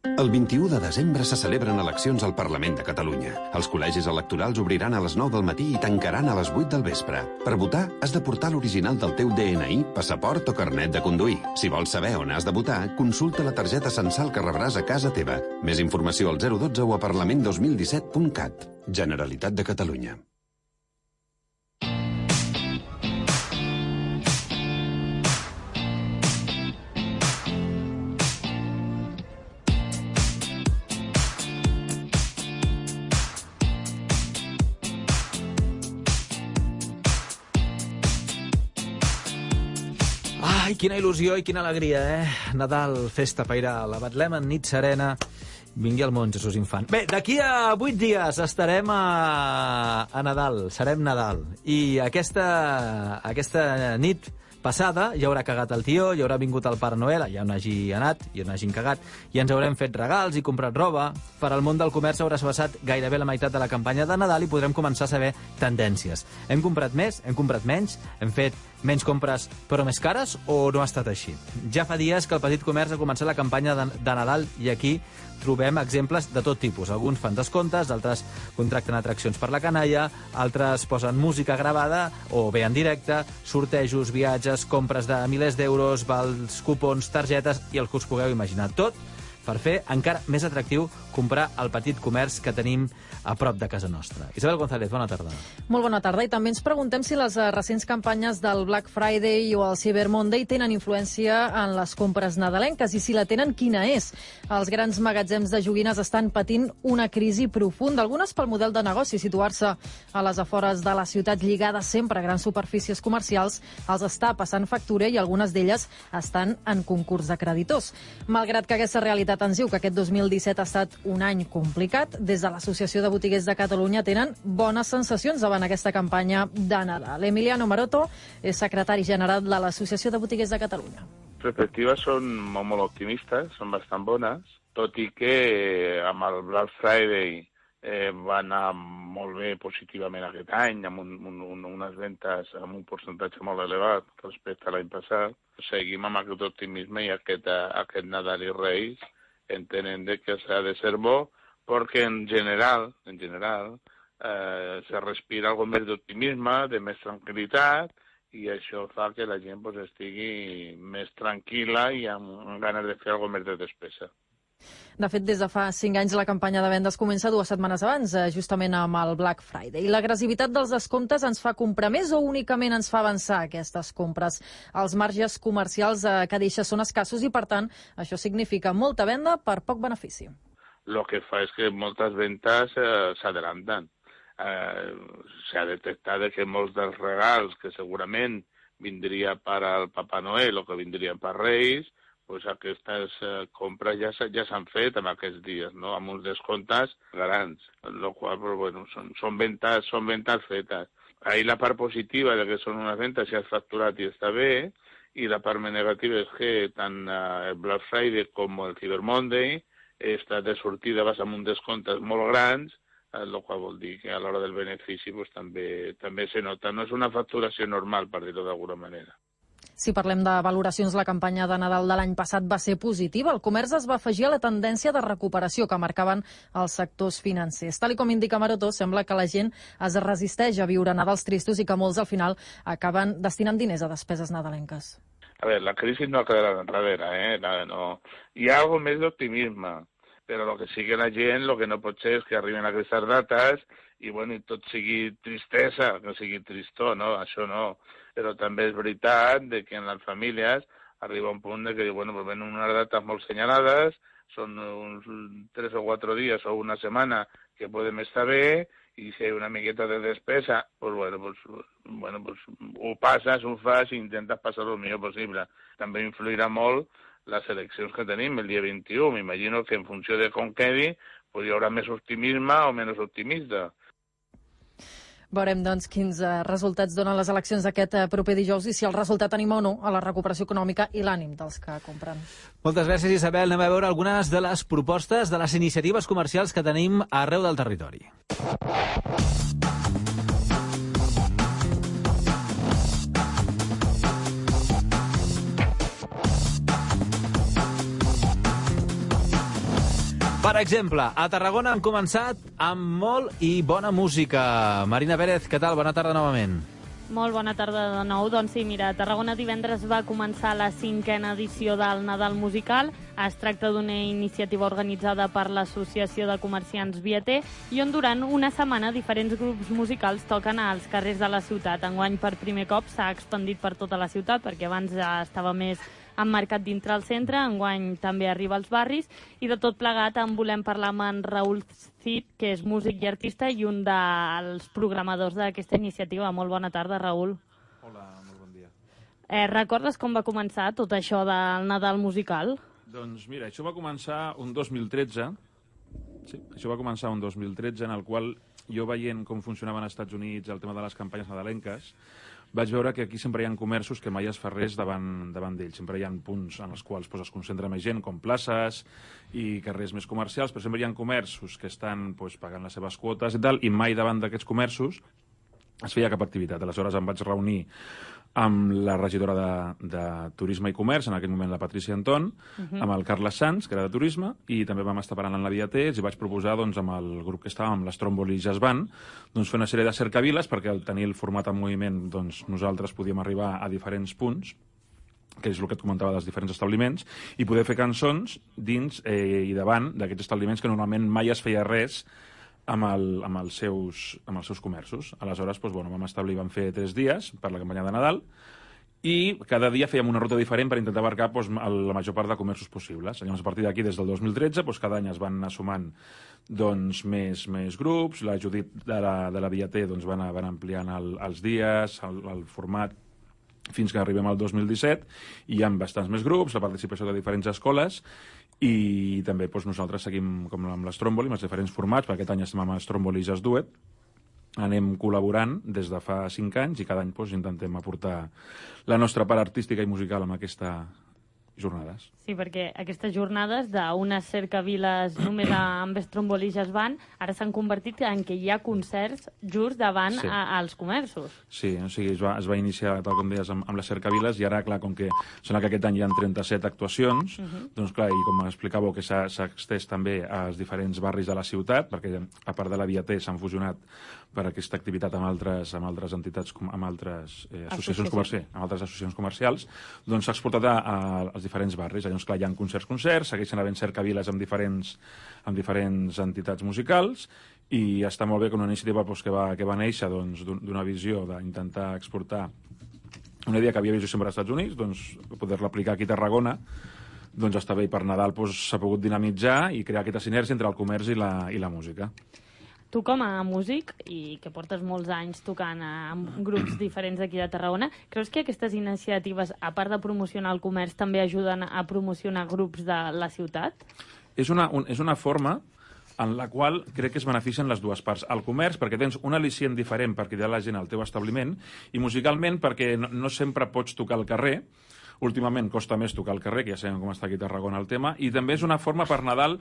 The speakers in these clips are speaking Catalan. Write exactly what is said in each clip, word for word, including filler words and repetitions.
El vint-i-u de desembre se celebren eleccions al Parlament de Catalunya. Els col·legis electorals obriran a les nou del matí i tancaran a les vuit del vespre. Per votar, has de portar l'original del teu D N I, passaport o carnet de conduir. Si vols saber on has de votar, consulta la targeta censal que rebràs a casa teva. Més informació al zero dotze o a parlament dos mil disset punt cat. Generalitat de Catalunya. Ai, quina il·lusió i quina alegria, eh? Nadal, festa pairal, la Betlem en nit serena, vingui al món Jesús infant. Bé, d'aquí a vuit dies estarem a, a Nadal, serem Nadal. I aquesta, aquesta nit passada ja haurà cagat el tió, ja haurà vingut el Pare Noel, ja on hagi anat, ja on hagin cagat, i ens haurem fet regals i comprat roba. Per al món del comerç haurà passat gairebé la meitat de la campanya de Nadal i podrem començar a saber tendències. Hem comprat més, hem comprat menys, hem fet menys compres però més cares o no ha estat així? Ja fa dies que el petit comerç ha començat la campanya de, de Nadal i aquí trobem exemples de tot tipus. Alguns fan descomptes, altres contracten atraccions per la canalla, altres posen música gravada o bé en directe, sortejos, viatges, compres de milers d'euros, vals, cupons, targetes i el que us pugueu imaginar. Tot per fer encara més atractiu comprar el petit comerç que tenim a prop de casa nostra. Isabel González, bona tarda. Molt bona tarda, i també ens preguntem si les recents campanyes del Black Friday o el Cyber Monday tenen influència en les compres nadalenques, i si la tenen, quina és? Els grans magatzems de joguines estan patint una crisi profunda, algunes pel model de negoci, situar-se a les afores de la ciutat lligada sempre a grans superfícies comercials, els està passant factura i algunes d'elles estan en concurs de creditors. Malgrat que aquesta realitat ens diu que aquest dos mil disset ha estat un any complicat, des de l'Associació de Botiguers de Catalunya tenen bones sensacions davant aquesta campanya de Nadal. Emiliano Maroto és secretari general de l'Associació de Botiguers de Catalunya. Les perspectives són molt, molt optimistes, són bastant bones, tot i que amb el Black Friday eh, va anar molt bé positivament aquest any, amb un, un, unes ventes amb un percentatge molt elevat respecte a l'any passat. Seguim amb aquest optimisme i aquest, aquest Nadal i Reis entenen de que s'ha de ser bo, perquè en general, en general, eh, se respira algo més d'optimisme, de més tranquil·litat, i això fa que la gent pues, estigui més tranquil·la i amb, amb ganes de fer algo més de despesa. De fet, des de fa cinc anys la campanya de vendes comença dues setmanes abans, justament amb el Black Friday. L'agressivitat dels descomptes ens fa comprar més o únicament ens fa avançar aquestes compres? Els marges comercials que deixa són escassos i, per tant, això significa molta venda per poc benefici. Lo que fa és que moltes vendes eh, s'adelanten. Eh, S'ha detectat que molts dels regals que segurament vindria per al Papa Noel o que vindrien per Reis, pues aquestes eh, compres ja, ja s'han fet en aquests dies, no? Amb uns descomptes grans, lo qual, pues, bueno, són, són, ventes, són ventes fetes. Ahí la part positiva de que són unes ventes si has facturat i està bé, i la part més negativa és que tant eh, el Black Friday com el Cyber Monday està de sortida, vas amb uns descomptes molt grans, el eh, qual vol dir que a l'hora del benefici pues, també, també se nota. No és una facturació normal, per dir-ho d'alguna manera. Si parlem de valoracions, la campanya de Nadal de l'any passat va ser positiva. El comerç es va afegir a la tendència de recuperació que marcaven els sectors financers. Tal com indica Maroto, sembla que la gent es resisteix a viure Nadals tristos i que molts al final acaben destinant diners a despeses nadalenques. A veure, la crisi no ha quedat enrere, eh? No. Hi ha algo més d'optimisme, però el que sigui la gent, el que no pot ser és que arriben aquestes dates i, bueno, i tot sigui tristesa, que sigui tristor, no? Això no. Però també és veritat de que en les famílies arriba un punt de que, bueno, pues venen unes dates molt senyalades, són uns tres o quatre dies o una setmana que podem estar bé, i si hi ha una miqueta de despesa, pues bueno, pues, bueno, pues ho passes, ho fas i intentes passar el millor possible. També influirà molt les eleccions que tenim el dia vint-i-u. M'imagino que en funció de com quedi, pues hi haurà més optimisme o menys optimista. Veurem, doncs, quins resultats donen les eleccions d'aquest proper dijous i si el resultat anima o no a la recuperació econòmica i l'ànim dels que compren. Moltes gràcies, Isabel. Anem a veure algunes de les propostes de les iniciatives comercials que tenim arreu del territori. Per exemple, a Tarragona han començat amb molt i bona música. Marina Pérez, què tal? Bona tarda novament. Molt bona tarda de nou. Doncs sí, mira, a Tarragona divendres va començar la cinquena edició del Nadal Musical. Es tracta d'una iniciativa organitzada per l'Associació de Comerciants Vieter i on durant una setmana diferents grups musicals toquen als carrers de la ciutat. Enguany, per primer cop, s'ha expandit per tota la ciutat, perquè abans ja estava més emmarcat dintre el centre, enguany també arriba als barris, i de tot plegat en volem parlar amb en Raül Cid, que és músic i artista i un dels programadors d'aquesta iniciativa. Molt bona tarda, Raül. Hola, molt bon dia. Eh, recordes com va començar tot això del Nadal musical? Doncs mira, això va començar un dos mil tretze, sí, això va començar un dos mil tretze, en el qual jo veient com funcionava als Estats Units el tema de les campanyes nadalenques, vaig veure que aquí sempre hi ha comerços que mai es fa res davant, davant d'ells. Sempre hi ha punts en els quals pues, es concentra més gent, com places i carrers més comercials, però sempre hi ha comerços que estan pues, pagant les seves quotes i tal, i mai davant d'aquests comerços es feia cap activitat. Aleshores em vaig reunir amb la regidora de, de Turisme i Comerç, en aquell moment la Patricia Anton, uh -huh. amb el Carles Sanz, que era de Turisme, i també vam estar parlant amb la Vieter, i vaig proposar doncs, amb el grup que estàvem, amb l'Stromboli Jazz Band, doncs, fer una sèrie de cercaviles, perquè al tenir el format en moviment doncs, nosaltres podíem arribar a diferents punts, que és el que et comentava dels diferents establiments, i poder fer cançons dins eh, i davant d'aquests establiments que normalment mai es feia res amb, el, amb, els seus, amb els seus comerços. Aleshores, doncs, bueno, vam establir, vam fer tres dies per la campanya de Nadal, i cada dia fèiem una ruta diferent per intentar abarcar doncs, la major part de comerços possibles. Llavors, a partir d'aquí, des del dos mil tretze, doncs, cada any es van anar sumant doncs, més, més grups. La Judit de la, de la Vieter doncs, van, van ampliant el, els dies, el, el format, fins que arribem al dos mil disset, i hi ha bastants més grups, la participació de diferents escoles, i també doncs, nosaltres seguim com amb l'Stromboli, amb els diferents formats. Per aquest any estem amb l'Stromboli Jazz Duet, anem col·laborant des de fa cinc anys i cada any doncs, intentem aportar la nostra part artística i musical amb aquestes jornades. Sí, perquè aquestes jornades d'unes cercaviles només amb Stromboli Jazz Band ara s'han convertit en què hi ha concerts just davant sí. a, als comerços. Sí, o sigui, es va, es va iniciar, tal com deies, amb, amb les cercaviles, i ara, clar, com que sembla que aquest any hi ha trenta-set actuacions, uh -huh. doncs clar, i com explicàveu, que s'ha extès també als diferents barris de la ciutat, perquè a part de la Vieter s'han fusionat per aquesta activitat amb altres, amb altres entitats, amb altres eh, associacions comercials, amb altres associacions comercials, doncs s'ha exportat a, a, als diferents barris. Llavors, clar, hi ha concerts, concerts, segueixen havent cercaviles amb diferents, amb diferents entitats musicals, i està molt bé que una iniciativa doncs, que, va, que va néixer doncs, d'una visió d'intentar exportar una idea que havia vist sempre als Estats Units, doncs poder-la aplicar aquí a Tarragona, doncs està bé, i per Nadal s'ha doncs, pogut dinamitzar i crear aquesta sinergia entre el comerç i la, i la música. Tu com a músic, i que portes molts anys tocant amb grups diferents d'aquí de Tarragona, creus que aquestes iniciatives, a part de promocionar el comerç, també ajuden a promocionar grups de la ciutat? És una, un, és una forma en la qual crec que es beneficien les dues parts. El comerç, perquè tens un al·licient diferent per cridar la gent al teu establiment, i musicalment, perquè no, no sempre pots tocar al carrer. Últimament costa més tocar al carrer, que ja sabem com està aquí a Tarragona el tema, i també és una forma per Nadal,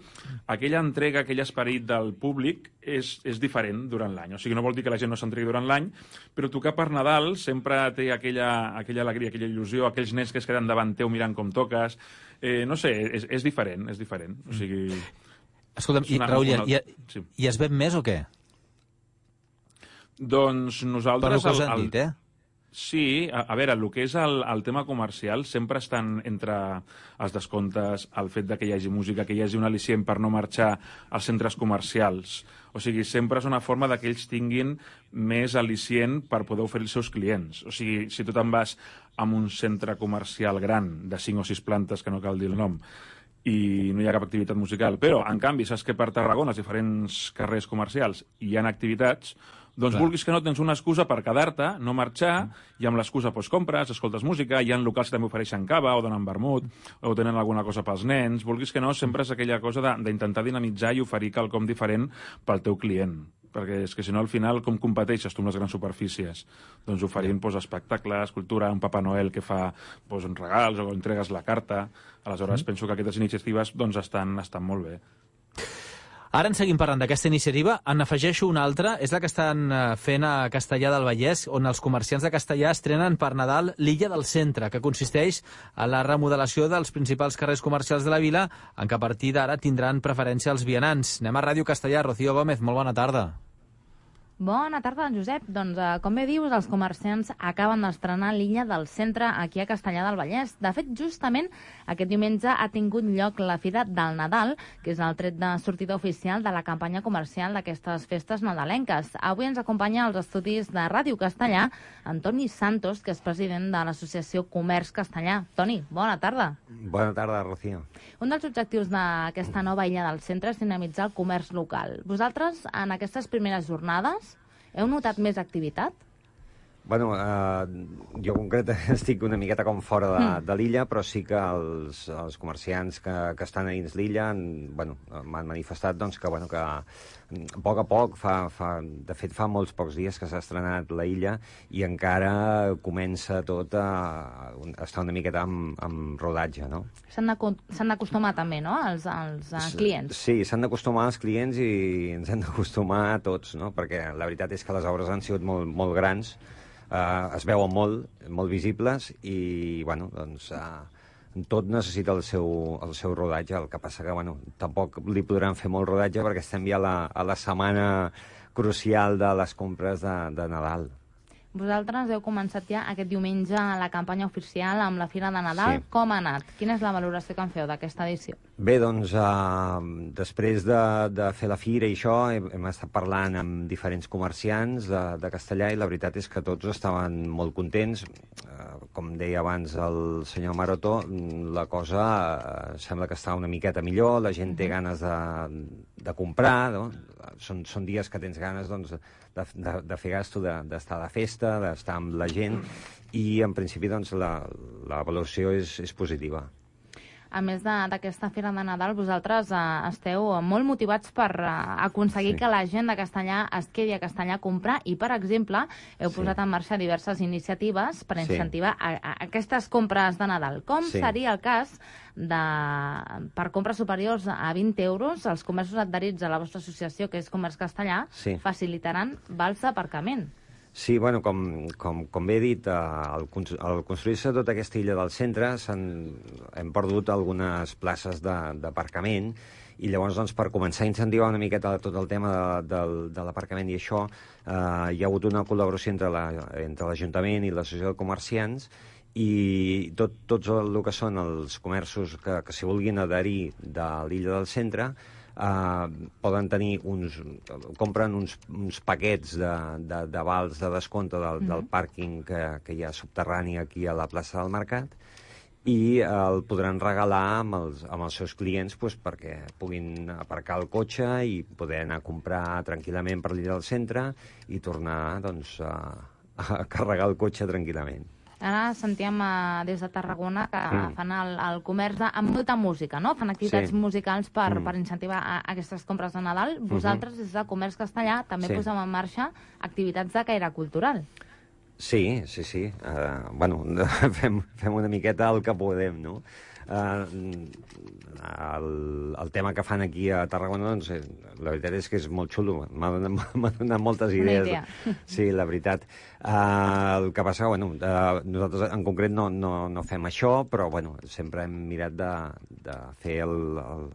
aquella entrega, aquell esperit del públic és, és diferent durant l'any. O sigui, no vol dir que la gent no s'entregui durant l'any, però tocar per Nadal sempre té aquella, aquella alegria, aquella il·lusió, aquells nens que es queden davant teu mirant com toques. Eh, no sé, és, és diferent, és diferent. O sigui... Escolta'm, i, Raül, una... i, sí. i es ven més o què? Doncs nosaltres... Per el que us han dit, eh? Sí, a, a veure, el que és el, el tema comercial sempre estan entre els descomptes, el fet de que hi hagi música, que hi hagi un al·licient per no marxar als centres comercials. O sigui, sempre és una forma que ells tinguin més al·licient per poder oferir els seus clients. O sigui, si tu te'n vas a un centre comercial gran de cinc o sis plantes, que no cal dir el nom, i no hi ha cap activitat musical, però, en canvi, saps que per Tarragona, als diferents carrers comercials, hi ha activitats, doncs clar, vulguis que no, tens una excusa per quedar-te, no marxar, i amb l'excusa doncs, compres, escoltes música, hi ha locals que també ofereixen cava o donen vermut, o tenen alguna cosa pels nens, vulguis que no, sempre és aquella cosa d'intentar dinamitzar i oferir quelcom diferent pel teu client, perquè és que si no al final com competeixes tu amb les grans superfícies? Doncs oferint doncs, espectacles, cultura, un Papa Noel que fa doncs, regals o entregues la carta. Aleshores mm. penso que aquestes iniciatives doncs, estan, estan molt bé. Ara en seguim parlant d'aquesta iniciativa. En afegeixo una altra, és la que estan fent a Castellar del Vallès, on els comerciants de Castellar estrenen per Nadal l'Illa del Centre, que consisteix en la remodelació dels principals carrers comercials de la vila, en què a partir d'ara tindran preferència els vianants. Anem a Ràdio Castellar. Rocío Gómez, molt bona tarda. Bona tarda, Josep. Doncs, eh, com bé dius, els comerciants acaben d'estrenar l'Illa del Centre aquí a Castellar del Vallès. De fet, justament aquest diumenge ha tingut lloc la Fira del Nadal, que és el tret de sortida oficial de la campanya comercial d'aquestes festes nadalenques. Avui ens acompanya als estudis de Ràdio Castellar Antoni Santos, que és president de l'Associació Comerç Castellar. Toni, bona tarda. Bona tarda, Rocío. Un dels objectius d'aquesta nova Illa del Centre és dinamitzar el comerç local. Vosaltres, en aquestes primeres jornades, heu notat més activitat? Bueno, eh, jo concret estic una miqueta com fora de, mm. de l'illa, però sí que els, els comerciants que, que estan a dins l'illa bueno, m'han manifestat doncs, que, bueno, que a poc a poc, fa, fa, de fet fa molts pocs dies que s'ha estrenat la illa i encara comença tot a, a estar una miqueta amb, amb rodatge, no? S'han d'acostumar també, no?, els, els uh, clients. Sí, s'han d'acostumar els clients i ens hem d'acostumar a tots, no?, perquè la veritat és que les obres han sigut molt, molt grans, Uh, es veuen molt, molt visibles i, bueno, doncs, uh, tot necessita el seu, el seu rodatge. El que passa que, bueno, tampoc li podran fer molt rodatge perquè estem ja a la, a la setmana crucial de les compres de, de Nadal. Vosaltres heu començat ja aquest diumenge la campanya oficial amb la Fira de Nadal. Sí. Com ha anat? Quina és la valoració que en feu d'aquesta edició? Bé, doncs, eh, després de, de fer la Fira i això, hem, hem estat parlant amb diferents comerciants de, de Castellar i la veritat és que tots estaven molt contents. Eh, com deia abans el senyor Maroto, la cosa eh, sembla que està una miqueta millor, la gent té ganes de, de comprar, no? Són, són dies que tens ganes, doncs, de, de, de fer gasto, d'estar de, de festa, d'estar amb la gent, i en principi doncs, la, la valoració és, és positiva. A més d'aquesta Fira de Nadal, vosaltres eh, esteu molt motivats per eh, aconseguir sí. que la gent de Castellar es quedi a Castellar a comprar i, per exemple, heu sí. posat en marxa diverses iniciatives per incentivar sí. a, a aquestes compres de Nadal. Com sí. seria el cas de, per compres superiors a vint euros, els comerços adherits a la vostra associació, que és Comerç Castellar, sí. facilitaran vals d'aparcament? Sí, bueno, com, com, com bé he dit, al, al construir-se tota aquesta illa del centre hem perdut algunes places d'aparcament i llavors, doncs, per començar a incentivar una miqueta tot el tema de, de, de l'aparcament i això, eh, hi ha hagut una col·laboració entre l'Ajuntament la, i l'Associació de Comerciants i tot, tots el que són els comerços que, que s'hi vulguin adherir de l'illa del centre Uh, poden tenir uns... compren uns, uns paquets de, de, de vals de descompte del, mm-hmm. del pàrquing que, que hi ha subterrani aquí a la plaça del Mercat i uh, el podran regalar amb els, amb els seus clients pues, perquè puguin aparcar el cotxe i poder anar a comprar tranquil·lament per l'illa del centre i tornar doncs, a, a carregar el cotxe tranquil·lament. Ara sentíem eh, des de Tarragona que mm. fan el, el comerç amb molta música, no? Fan activitats sí. musicals per, mm. per incentivar a, a aquestes compres de Nadal. Vosaltres, mm-hmm. des de Comerç Castellar, també sí. posem en marxa activitats de caire cultural. Sí, sí, sí. Uh, bueno, fem, fem una miqueta el que podem, no? Uh, el, el tema que fan aquí a Tarragona, doncs, la veritat és que és molt xulo. M'ha donat, donat moltes idees. Una idea. Sí, la veritat. Uh, el que passa, bueno, uh, nosaltres en concret no, no, no fem això, però, bueno, sempre hem mirat de, de fer el, el,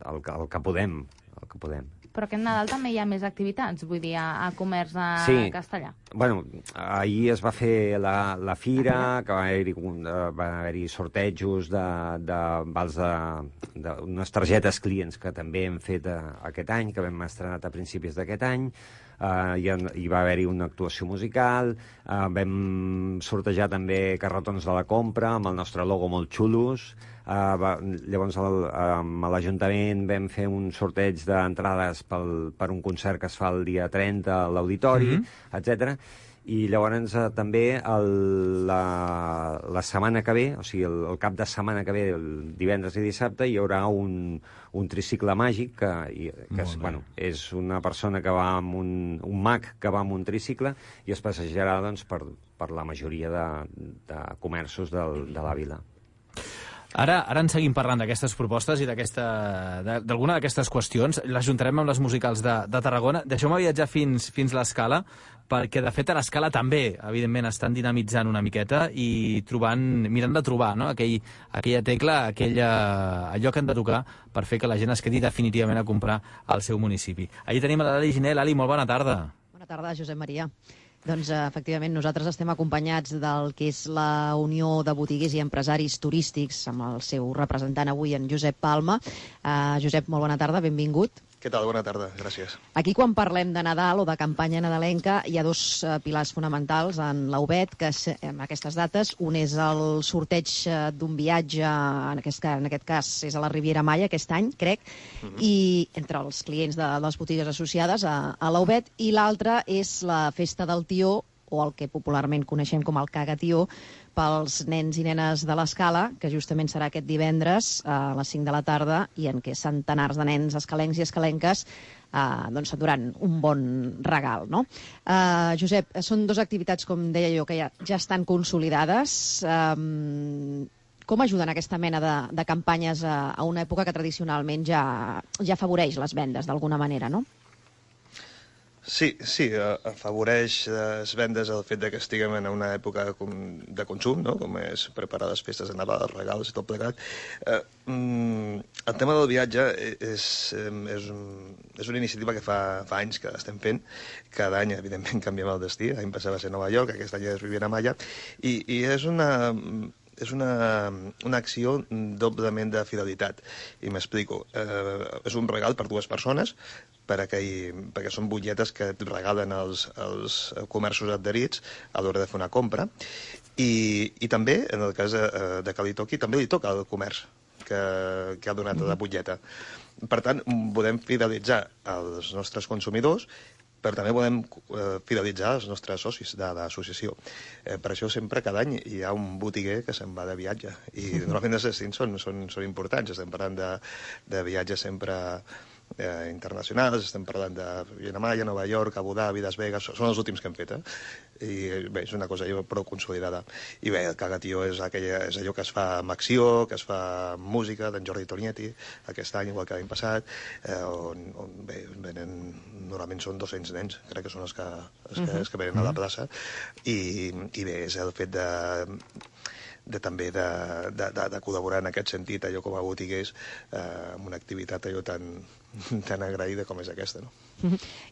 el, el que podem, el que podem. Però aquest Nadal també hi ha més activitats, vull dir, a, a Comerç a sí. Castellar. Bueno, ahir es va fer la, la fira, que va haver-hi va haver sortejos de, de vals de, d'unes targetes clients que també hem fet a, aquest any, que vam estrenar a principis d'aquest any. Uh, hi, ha, hi va haver-hi una actuació musical, uh, vam sortejar també carretons de la compra amb el nostre logo molt xulos. Uh, va, llavors el, amb l'Ajuntament vam fer un sorteig d'entrades pel, per un concert que es fa el dia trenta a l'Auditori, mm-hmm. etcètera. I llavors eh, també el, la, la setmana que ve, o sigui, el, el cap de setmana que ve, el divendres i dissabte, hi haurà un, un tricicle màgic que, i, que és, bueno, és una persona que va amb un, un mag que va amb un tricicle i es passejarà doncs, per, per la majoria de, de comerços del, de la vila. Ara, ara en seguim parlant d'aquestes propostes i d'alguna d'aquestes qüestions. L'ajuntarem amb les musicals de, de Tarragona. Deixeu-me viatjar fins, fins l'Escala, perquè, de fet, a l'Escala també, evidentment, estan dinamitzant una miqueta i trobant, mirant de trobar, no?, Aquell, aquella tecla, aquella, allò que han de tocar per fer que la gent es quedi definitivament a comprar al seu municipi. Allí tenim a l'Ali Giné. L'Ali, molt bona tarda. Bona tarda, Josep Maria. Doncs, efectivament, nosaltres estem acompanyats del que és la Unió de Botiguers i Empresaris Turístics, amb el seu representant avui, en Josep Palma. Uh, Josep, molt bona tarda, benvingut. Què tal? Bona tarda, gràcies. Aquí, quan parlem de Nadal o de campanya nadalenca, hi ha dos uh, pilars fonamentals en l'A U B E T, que en aquestes dates, un és el sorteig uh, d'un viatge, en aquest, en aquest cas és a la Riviera Maya, aquest any, crec, uh-huh. i entre els clients de, de les botigues associades a, a l'A U B E T, i l'altre és la Festa del Tió, o el que popularment coneixem com el Cagatió, pels nens i nenes de l'Escala, que justament serà aquest divendres a les cinc de la tarda, i en què centenars de nens escalencs i escalenques eh, doncs s'enduran un bon regal, no? Eh, Josep, són dues activitats, com deia jo, que ja, ja estan consolidades. Eh, com ajuden aquesta mena de, de campanyes a, a una època que tradicionalment ja, ja afavoreix les vendes, d'alguna manera, no? Sí, sí, afavoreix les vendes el fet que estiguem en una època de consum, no?, com és preparar les festes de Nadal, els regals i tot plegat. Eh, el tema del viatge és, és, un, és una iniciativa que fa, fa anys que estem fent. Cada any, evidentment, canviem el destí. L'any passat va ser Nova York, aquest any és Riviera Maya, i, i és una... és una, una acció doblement de fidelitat. I m'explico. Eh, és un regal per dues persones, per aquell, perquè són butlletes que et regalen els, els comerços adherits a l'hora de fer una compra. I, i també, en el cas de, de que li toqui, també li toca al comerç que, que ha donat la butlleta. Per tant, podem fidelitzar els nostres consumidors, però també volem eh, fidelitzar els nostres socis de l'associació. Eh, per això sempre cada any hi ha un botiguer que se'n va de viatge. I normalment els destins són, són, són importants. Estem parlant de, de viatges sempre eh, internacionals, estem parlant de Riviera Maya, Nova York, Abu Dhabi, Las Vegas, són els últims que hem fet, eh? I bé, és una cosa prou consolidada. I bé, el Cagatió és, aquella, és allò que es fa amb acció, que es fa amb música, d'en Jordi Tornietti, aquest any, igual que l'any passat, eh, on, on bé, venen, normalment són dos-cents nens, crec que són els que, els que, els que venen a la plaça, i, i bé, és el fet de... de també de, de, de, de col·laborar en aquest sentit, allò com a botiguers, eh, amb una activitat allò tan, tan agraïda com és aquesta, no?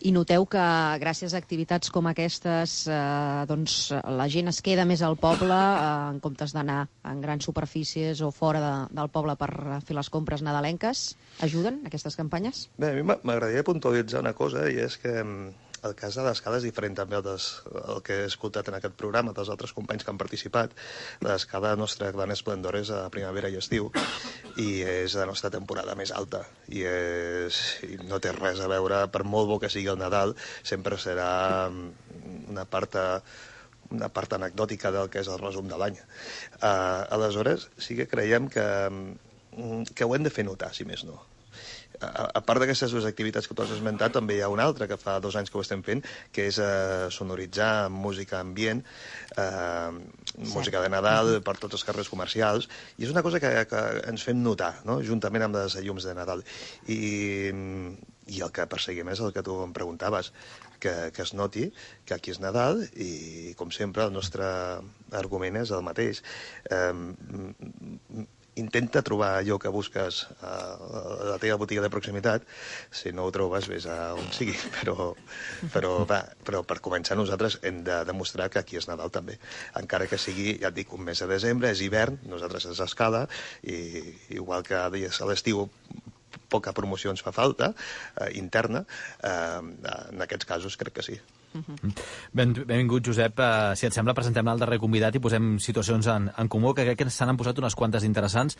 I noteu que gràcies a activitats com aquestes eh, doncs, la gent es queda més al poble eh, en comptes d'anar en grans superfícies o fora de, del poble per fer les compres nadalenques? Ajuden aquestes campanyes? Bé, a mi m'agradaria puntualitzar una cosa, i és que el cas de l'Escala és diferent també el, des, el que he escoltat en aquest programa dels altres companys que han participat. L'Escala, la nostra gran esplendor és a primavera i estiu, i és la nostra temporada més alta, i, és, i no té res a veure, per molt bo que sigui el Nadal, sempre serà una part, una part anecdòtica del que és el resum de l'any. Uh, aleshores, sí que creiem que, que ho hem de fer notar, si més no. A, a part d'aquestes dues activitats que tu has esmentat, també hi ha una altra que fa dos anys que ho estem fent, que és eh, sonoritzar música ambient, eh, música de Nadal per tots els carrers comercials, i és una cosa que, que ens fem notar, no?, juntament amb les llums de Nadal. I, i el que perseguim és el que tu em preguntaves, que, que es noti que aquí és Nadal, i com sempre el nostre argument és el mateix. Eh, Intenta trobar allò que busques a la teva botiga de proximitat. Si no ho trobes, vés a on sigui. Però, però, va, però per començar nosaltres hem de demostrar que aquí és Nadal també. Encara que sigui, ja et dic, un mes de desembre, és hivern, nosaltres és Escala, i igual que a l'estiu poca promoció ens fa falta, eh, interna, eh, en aquests casos crec que sí. Ben, benvingut, Josep. Uh, si et sembla, presentem el darrer convidat i posem situacions en, en comú, que crec que s'han posat unes quantes interessants,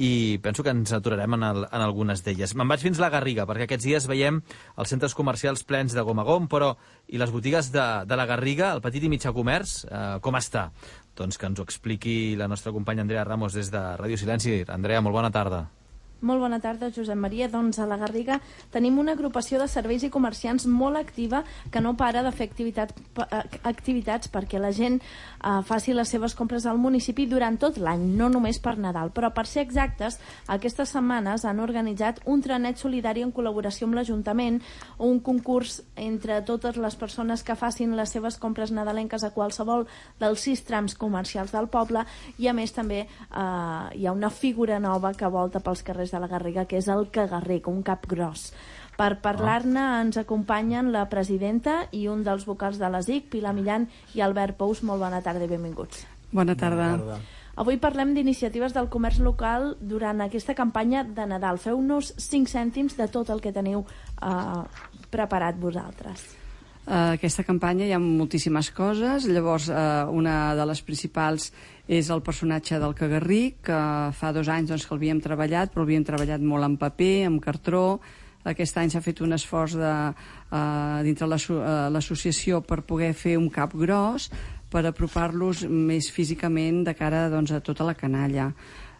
i penso que ens aturarem en, el, en algunes d'elles. Me'n vaig fins a la Garriga, perquè aquests dies veiem els centres comercials plens de gom a gom, però i les botigues de, de la Garriga, el petit i mitjà comerç, uh, com està? Doncs que ens ho expliqui la nostra companya Andrea Ramos des de Ràdio Silenci. Andrea, molt bona tarda. Molt bona tarda, Josep Maria. Doncs a la Garriga tenim una agrupació de serveis i comerciants molt activa que no para de fer activitats, activitats perquè la gent eh, faci les seves compres al municipi durant tot l'any, no només per Nadal. Però per ser exactes, aquestes setmanes han organitzat un trenet solidari en col·laboració amb l'Ajuntament, un concurs entre totes les persones que facin les seves compres nadalenques a qualsevol dels sis trams comercials del poble, i a més també eh, hi ha una figura nova que volta pels carrers de la Garriga, que és el cagarric, un cap gros. Per parlar-ne ens acompanyen la presidenta i un dels vocals de l'A S I C, Pilar Millan i Albert Pous. Molt bona tarda i benvinguts. Bona tarda. Bona tarda. Avui parlem d'iniciatives del comerç local durant aquesta campanya de Nadal. Feu-nos cinc cèntims de tot el que teniu eh, preparat vosaltres. Uh, aquesta campanya hi ha moltíssimes coses. Llavors, uh, una de les principals és el personatge del cagarric, que fa dos anys doncs, que l'havíem treballat, però l'havíem treballat molt en paper, en cartró. Aquest any s'ha fet un esforç de, uh, dintre l'associació per poder fer un cap gros, per apropar-los més físicament de cara doncs, a tota la canalla.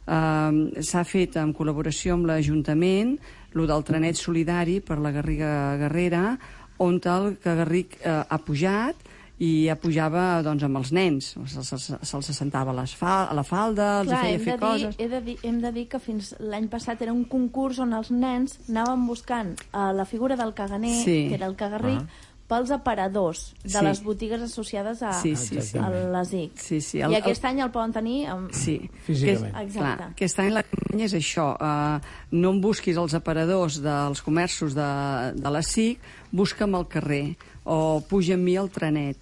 Uh, s'ha fet en col·laboració amb l'Ajuntament el del trenet solidari per la Garriga Guerrera, on el cagarric eh, ha pujat i ja pujava doncs, amb els nens. Se'ls se, se, se sentava a, fal a la falda, els Clar, feia fer dir, coses. He de dir, hem de dir que fins l'any passat era un concurs on els nens anaven buscant uh, la figura del caganer, sí. que era el cagarric, uh -huh. pels aparadors de sí. les botigues associades a, sí, sí, sí. a l'A S I C. Sí, sí. El, I aquest el... any el poden tenir amb... sí. físicament. Aquest, clar, aquest any la campanya és això. Uh, no em busquis els aparadors dels comerços de, de l'A S I C, busca'm al carrer o puja amb mi al trenet.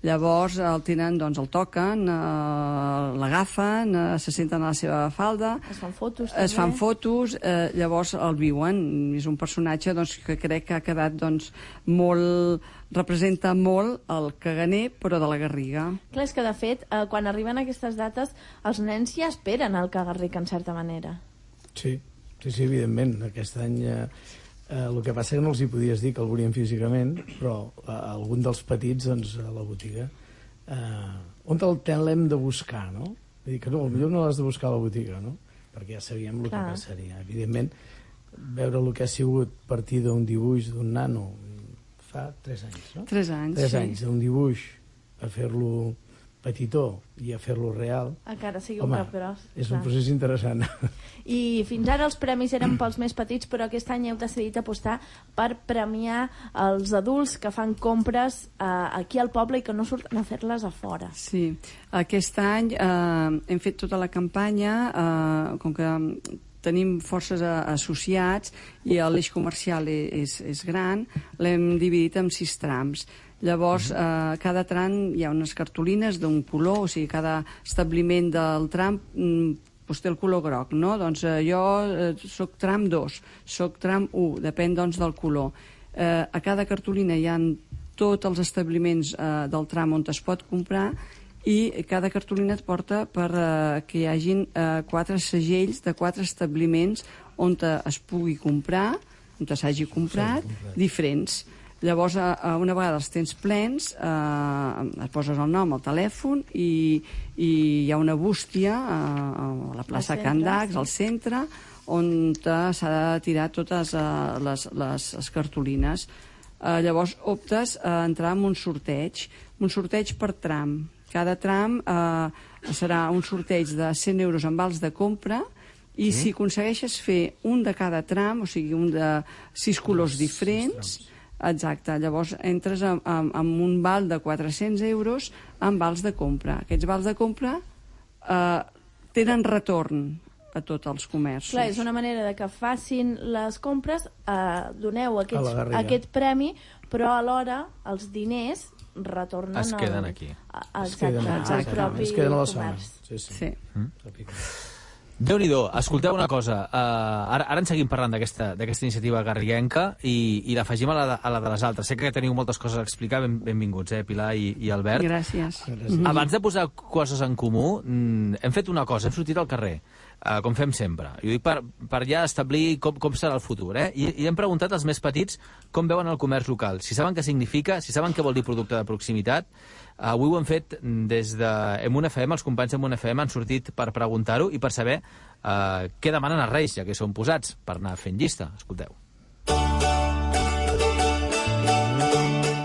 Llavors el tenen, doncs el toquen, eh, l'agafen, eh, se senten a la seva falda, es fan fotos, es també. fan fotos, eh, llavors el viuen. És un personatge doncs, que crec que ha quedat doncs, molt... representa molt el caganer, però de la Garriga. Clar, és que de fet, eh, quan arriben aquestes dates, els nens ja esperen el cagarric, en certa manera. Sí, sí, sí, evidentment. Aquest any... Eh... Eh, el que passa que no els hi podies dir que el volien físicament, però eh, algun dels petits doncs, a la botiga eh, on el l'hem de buscar, no? Vull dir que no, potser no l'has de buscar a la botiga, no? Perquè ja sabíem el Clar. que passaria. Evidentment, veure el que ha sigut partir d'un dibuix d'un nano fa tres anys, no? Tres anys, tres sí. anys d'un dibuix a fer-lo petitó i a fer-lo real. Encara sigui Home, un cap gros. És clar. un procés interessant. I fins ara els premis eren pels més petits, però aquest any heu decidit apostar per premiar els adults que fan compres eh, aquí al poble i que no surten a fer-les a fora. Sí, aquest any eh, hem fet tota la campanya, eh, com que tenim forces associats i l'eix comercial és, és gran, l'hem dividit en sis trams. Llavors, eh, cada tram hi ha unes cartolines d'un color, o sigui, cada establiment del tram mm, doncs té el color groc, no? Doncs eh, jo eh, soc tram dos, soc tram u, depèn doncs del color. Eh, a cada cartolina hi ha tots els establiments eh, del tram on es pot comprar i cada cartolina et porta per eh, que hi hagin eh, quatre segells de quatre establiments on es pugui comprar, on s'hagi comprat, sí, comprat, diferents. Llavors, una vegada els tens plens, eh, et poses el nom, el telèfon, i, i hi ha una bústia eh, a la plaça Can Dax, al centre, on s'ha de tirar totes eh, les, les, les cartolines. Eh, llavors, optes a entrar en un sorteig, un sorteig per tram. Cada tram eh, serà un sorteig de cent euros en vals de compra, i sí. si aconsegueixes fer un de cada tram, o sigui, un de sis colors diferents, exacte, llavors entres amb, amb, amb un val de quatre-cents euros en vals de compra. Aquests vals de compra eh, tenen retorn a tots els comerços. Clar, és una manera de que facin les compres, eh, doneu aquests, aquest premi, però alhora els diners retornen es queden al, aquí. A, a, exacte, al propi es queden a la comerç. zona. Sí, sí. sí. Mm? Déu-n'hi-do, escolteu una cosa, uh, ara, ara en seguim parlant d'aquesta iniciativa garriguenca i, i l'afegim a, la, a la de les altres. Sé que teniu moltes coses a explicar, ben, benvinguts, eh, Pilar i, i Albert. Gràcies. Gràcies. Abans de posar coses en comú, mm, hem fet una cosa, hem sortit al carrer. Uh, com fem sempre. I ho dic per, per ja establir com, com serà el futur. Eh? I, I hem preguntat als més petits com veuen el comerç local, si saben què significa, si saben què vol dir producte de proximitat. Uh, avui ho hem fet des de Emun F M, els companys d'Emun F M han sortit per preguntar-ho i per saber uh, què demanen els Reis, ja que són posats, per anar fent llista. Escolteu.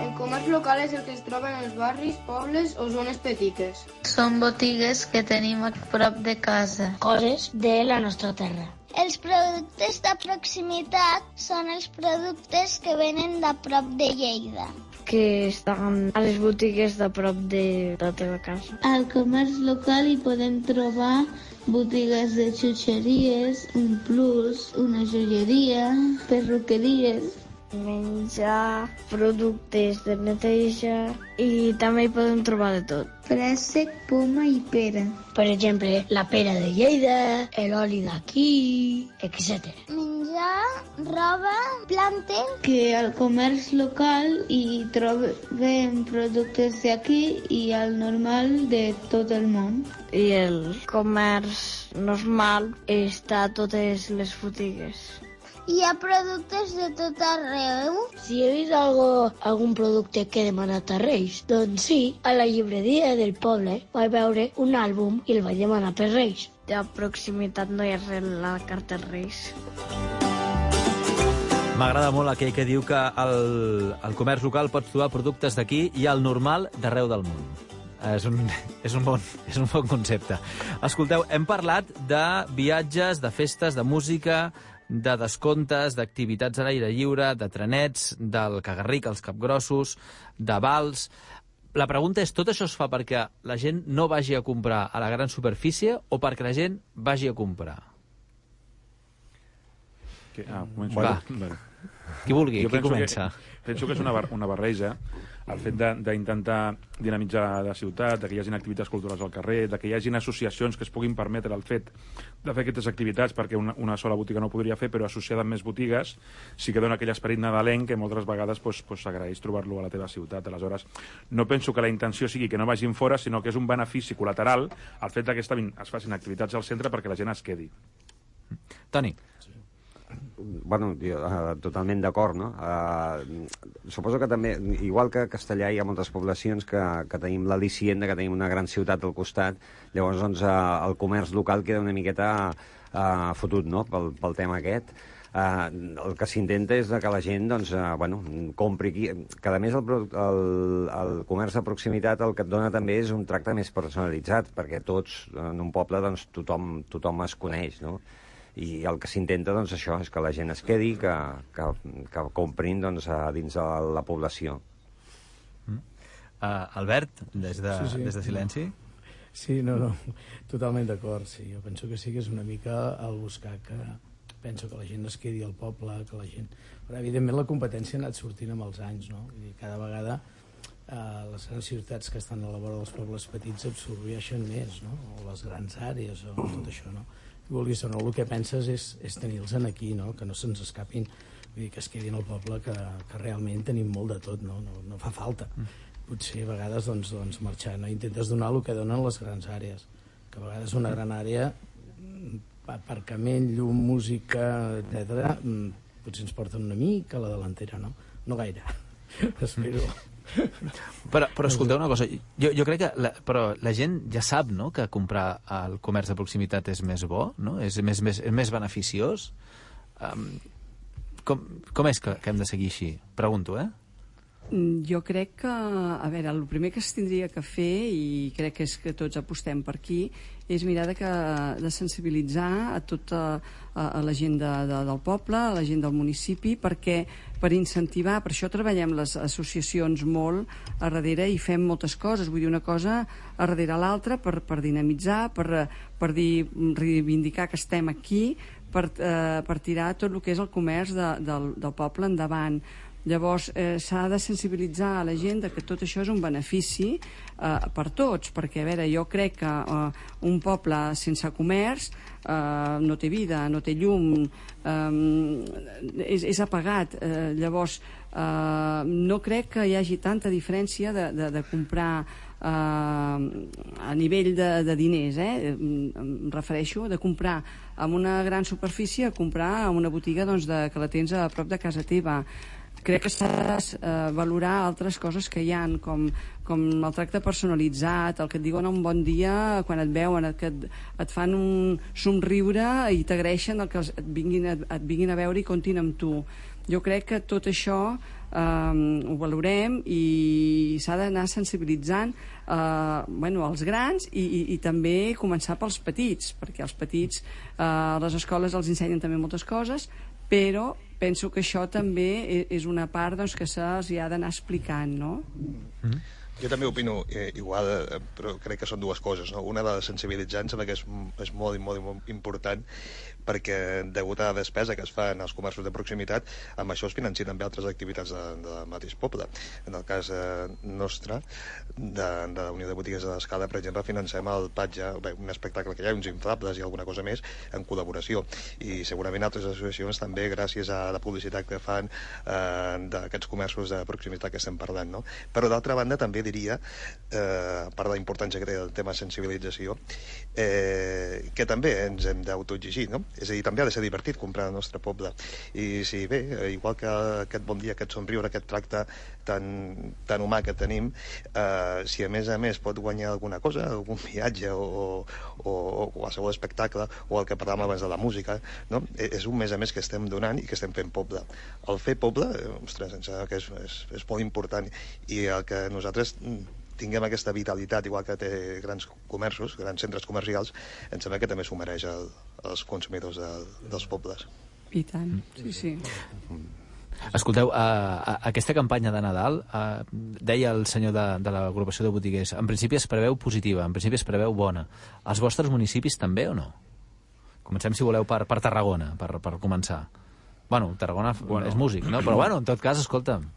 El comerç local és el que es troba en els barris, pobles o zones petites. Són botigues que tenim a prop de casa. Coses de la nostra terra. Els productes de proximitat són els productes que venen de prop de Lleida. Que estan a les botigues de prop de la teva casa. Al comerç local hi podem trobar botigues de xutxeries, un plus, una joieria, perruqueries. Menjar, productes de neteja i també hi podem trobar de tot. Préssec, poma i pera. Per exemple, la pera de Lleida, l'oli d'aquí, etcètera. Menjar, roba, plantes. Que al comerç local hi trobem productes d'aquí i al normal de tot el món. I el comerç normal està a totes les botigues. Hi ha productes de tot arreu? Si he vist algo, algun producte que he demanat a Reis, doncs sí, a la llibreria del poble vaig veure un àlbum i el vaig demanar per Reis. De proximitat no hi ha res a la carta Reis. M'agrada molt aquell que diu que el, el comerç local pots trobar productes d'aquí i el normal d'arreu del món. És un, és, un bon, és un bon concepte. Escolteu, hem parlat de viatges, de festes, de música, de descomptes, d'activitats a l'aire lliure, de trenets, del cagarric, els capgrossos, de vals. La pregunta és, tot això es fa perquè la gent no vagi a comprar a la gran superfície o perquè la gent vagi a comprar? Que, ah, començo. Va, bueno. Qui vulgui, jo qui comença? Que, penso que és una, bar, una barreja el fet d'intentar dinamitzar la ciutat, de que hi hagi activitats culturals al carrer, de que hi hagi associacions que es puguin permetre el fet de fer aquestes activitats, perquè una, una sola botiga no ho podria fer, però associada amb més botigues sí que dona aquell esperit nadalenc que moltes vegades pues, pues, s'agraeix trobar-lo a la teva ciutat. Aleshores, no penso que la intenció sigui que no vagin fora, sinó que és un benefici col·lateral el fet que es facin activitats al centre perquè la gent es quedi. Toni. Bueno, jo, uh, totalment d'acord, no? Uh, suposo que també, igual que a Castellà hi ha moltes poblacions que, que tenim l'al·licient de que tenim una gran ciutat al costat, llavors doncs, uh, el comerç local queda una miqueta uh, fotut, no?, pel, pel tema aquest. Uh, el que s'intenta és que la gent doncs, uh, bueno, compri aquí. Que a més el, el, el comerç de proximitat el que et dona també és un tracte més personalitzat, perquè tots en un poble doncs, tothom, tothom es coneix, no? I el que s'intenta, doncs, això, és que la gent es quedi, que, que, que comprin doncs, a dins de la població. Mm. Uh, Albert, des de, sí, sí. des de Silenci? Sí, no, no, totalment d'acord, sí. Jo penso que sí que és una mica el buscar que... Penso que la gent es quedi al poble, que la gent... Però, evidentment, la competència ha anat sortint amb els anys, no? Vull dir, cada vegada eh, les grans ciutats que estan a la vora dels pobles petits absorbeixen més, no? O les grans àrees, o tot això, no? Vulguis o no, el que penses és, és tenir-los aquí, no? Que no se'ns escapin, vull dir, que es quedin al poble, que, que realment tenim molt de tot, no? No, no fa falta. Potser a vegades doncs, doncs, marxar, no? Intentes donar el que donen les grans àrees, que a vegades una gran àrea, aparcament, llum, música, etcètera, potser ens porten una mica a la delantera, no? No gaire, espero. Però, però escolteu una cosa, jo, jo crec que la, però la gent ja sap, no?, que comprar al comerç de proximitat és més bo, no? És més, més, és més beneficiós. Um, com, com és que, que hem de seguir així? Pregunto, eh? Jo crec que, a veure, el primer que es tindria que fer, i crec que és que tots apostem per aquí, és mirar de, que, de sensibilitzar a tota a, a la gent de, de, del poble, a la gent del municipi, perquè per incentivar, per això treballem les associacions molt a darrere i fem moltes coses, vull dir, una cosa a darrere l'altra per, per dinamitzar, per, per dir, reivindicar que estem aquí, per, eh, per tirar tot el que és el comerç de, del, del poble endavant. Llavors, eh, s'ha de sensibilitzar a la gent de que tot això és un benefici eh, per tots, perquè, a veure, jo crec que eh, un poble sense comerç eh, no té vida, no té llum, eh, és, és apagat. Eh, llavors, eh, no crec que hi hagi tanta diferència de, de, de comprar a nivell de, de diners, eh? Em refereixo de comprar en una gran superfície a comprar en una botiga doncs, de, que la tens a prop de casa teva. Crec que s'ha de eh, valorar altres coses que hi ha, com, com el tracte personalitzat, el que et diuen un bon dia quan et veuen, que et, et fan un somriure i t'agraeixen el que et vinguin, et, et vinguin a veure i comptin amb tu. Jo crec que tot això eh, ho valorem i s'ha d'anar sensibilitzant eh, bueno, els grans i, i, i també començar pels petits, perquè els petits eh, a les escoles els ensenyen també moltes coses, però penso que això també és una part doncs, que se'ls ha d'anar explicant, no? Mm-hmm. Jo també opino eh, igual, eh, però crec que són dues coses, no? Una de sensibilitzar, em sembla que és, és molt, molt, molt important, perquè degut a la despesa que es fa en els comerços de proximitat, amb això es financien també altres activitats de, del mateix poble. En el cas eh, nostre, de, de la Unió de Botigues de l'Escala, per exemple, financem el Patge, bé, un espectacle que hi ha, uns inflables i alguna cosa més, en col·laboració. I segurament altres associacions també, gràcies a la publicitat que fan eh, d'aquests comerços de proximitat que estem parlant, no? Però d'altra banda també diria, eh, a part de la importància que té el tema sensibilització, eh, que també ens hem d'autoexigir, no? És a dir, també ha de ser divertit comprar al nostre poble. I si bé, igual que aquest bon dia, aquest somriure, aquest tracte tan, tan humà que tenim, eh, si a més a més pot guanyar alguna cosa, algun viatge o, o, o qualsevol espectacle, o el que parlàvem abans de la música, no? És un més a més que estem donant i que estem fent poble. El fer poble, ostres, em sembla que és, és, és molt important, i el que nosaltres tinguem aquesta vitalitat, igual que té grans comerços, grans centres comercials, em sembla que també s'ho mereix el, els consumidors de, dels pobles. I tant, sí, sí. Escolteu, uh, aquesta campanya de Nadal, uh, deia el senyor de, de l'agrupació de botiguers, en principi es preveu positiva, en principi es preveu bona. Els vostres municipis també o no? Comencem, si voleu, per, per Tarragona, per, per començar. Bueno, Tarragona bueno. és músic, no? Però bueno, en tot cas, escolta'm.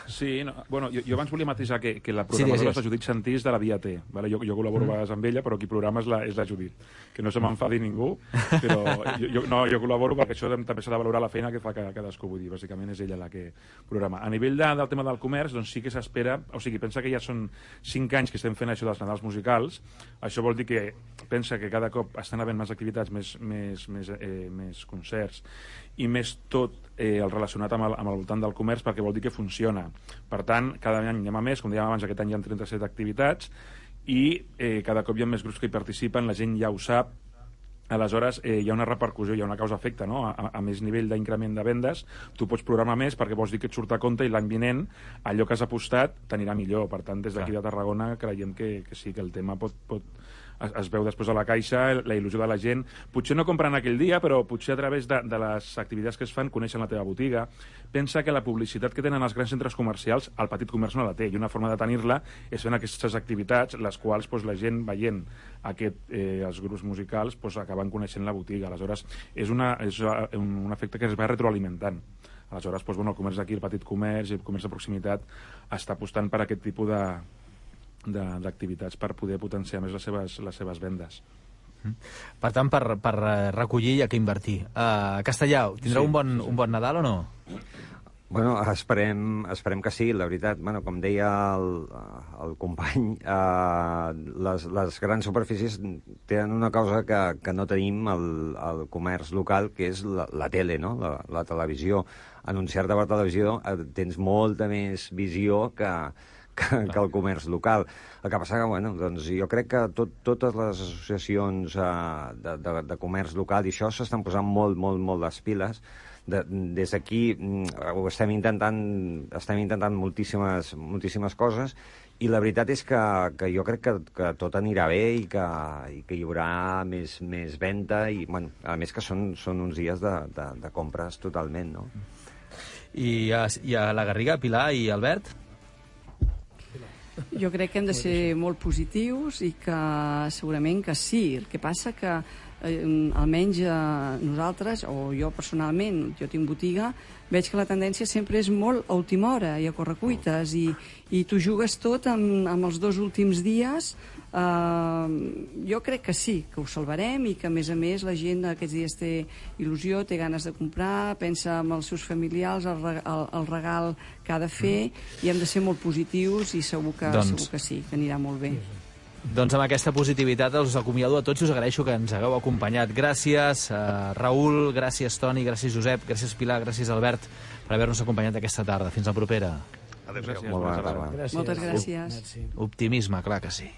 Sí, no, bueno, jo, jo abans volia matisar que, que la programadora sí, és la Judit Santís de la Via T. Vale? Jo, jo col·laboro mm. a vegades amb ella, però qui programa és la, és la Judit. Que no se m'enfadi ningú, però jo, jo, no, jo col·laboro perquè això també s'ha de valorar la feina que fa cadascú. Vull dir, bàsicament és ella la que programa. A nivell de, del tema del comerç, doncs sí que s'espera, o sigui, pensa que ja són cinc anys que estem fent això dels Nadals musicals. Això vol dir que pensa que cada cop estan havent més activitats, més, més, més, eh, més concerts, i més tot eh, el relacionat amb el, amb el voltant del comerç, perquè vol dir que funciona. Per tant, cada any anem a més, com dèiem abans, aquest any hi ha trenta-set activitats, i eh, cada cop hi ha més grups que hi participen, la gent ja ho sap, aleshores eh, hi ha una repercussió, hi ha una causa-efecte, no? A, a més nivell d'increment de vendes, tu pots programar més perquè vols dir que et surt a compte i l'any vinent allò que has apostat t'anirà millor. Per tant, des d'aquí de Tarragona creiem que, que sí, que el tema pot... pot Es, es veu després a la caixa, la il·lusió de la gent. Potser no compren aquell dia, però potser a través de, de les activitats que es fan coneixen la teva botiga. Pensa que la publicitat que tenen els grans centres comercials, el petit comerç no la té, i una forma de tenir-la és fent aquestes activitats, les quals doncs, la gent veient aquest, eh, els grups musicals doncs, acaben coneixent la botiga. Aleshores, és, una, és un, un efecte que es va retroalimentant. Aleshores, doncs, bueno, el comerç d'aquí, el petit comerç i el comerç de proximitat està apostant per aquest tipus de d'activitats per poder potenciar més les seves, les seves vendes. Per tant, per, per recollir hi ha que invertir. Uh, Castellà, tindreu sí, un, bon, sí, sí. un bon Nadal o no? Bueno, esperem, esperem que sí, la veritat. Bueno, com deia el, el company, uh, les, les grans superfícies tenen una cosa que, que no tenim al, al comerç local, que és la, la tele, no? la, la televisió. Anunciar-te per televisió uh, tens molta més visió que Que, que el comerç local. El que passa que, bueno, doncs jo crec que tot, totes les associacions uh, de, de, de comerç local i això s'estan posant molt, molt, molt les piles. De, des d'aquí ho estem intentant, estem intentant moltíssimes, moltíssimes coses, i la veritat és que, que jo crec que, que tot anirà bé i que, i que hi haurà més, més venda, i, bueno, a més que són, són uns dies de, de, de compres totalment, no? I a, i a la Garriga, Pilar i Albert? Jo crec que hem de ser molt positius i que segurament que sí. El que passa que eh, almenys eh, nosaltres, o jo personalment, jo tinc botiga, veig que la tendència sempre és molt a última hora i a correcuites, i, i tu jugues tot amb, amb els dos últims dies. Uh, jo crec que sí, que ho salvarem, i que a més a més la gent aquests dies té il·lusió, té ganes de comprar, pensa en els seus familiars, el, el, el regal que ha de fer, i hem de ser molt positius, i segur que, doncs... segur que sí, que anirà molt bé. Doncs amb aquesta positivitat us acomiado a tots i us agraeixo que ens hagueu acompanyat. Gràcies, uh, Raül, gràcies, Toni, gràcies, Josep, gràcies, Pilar, gràcies, Albert, per haver-nos acompanyat aquesta tarda. Fins la propera. Adéu-siau. Molt bona tarda. Moltes gràcies. Optimisme, clar que sí.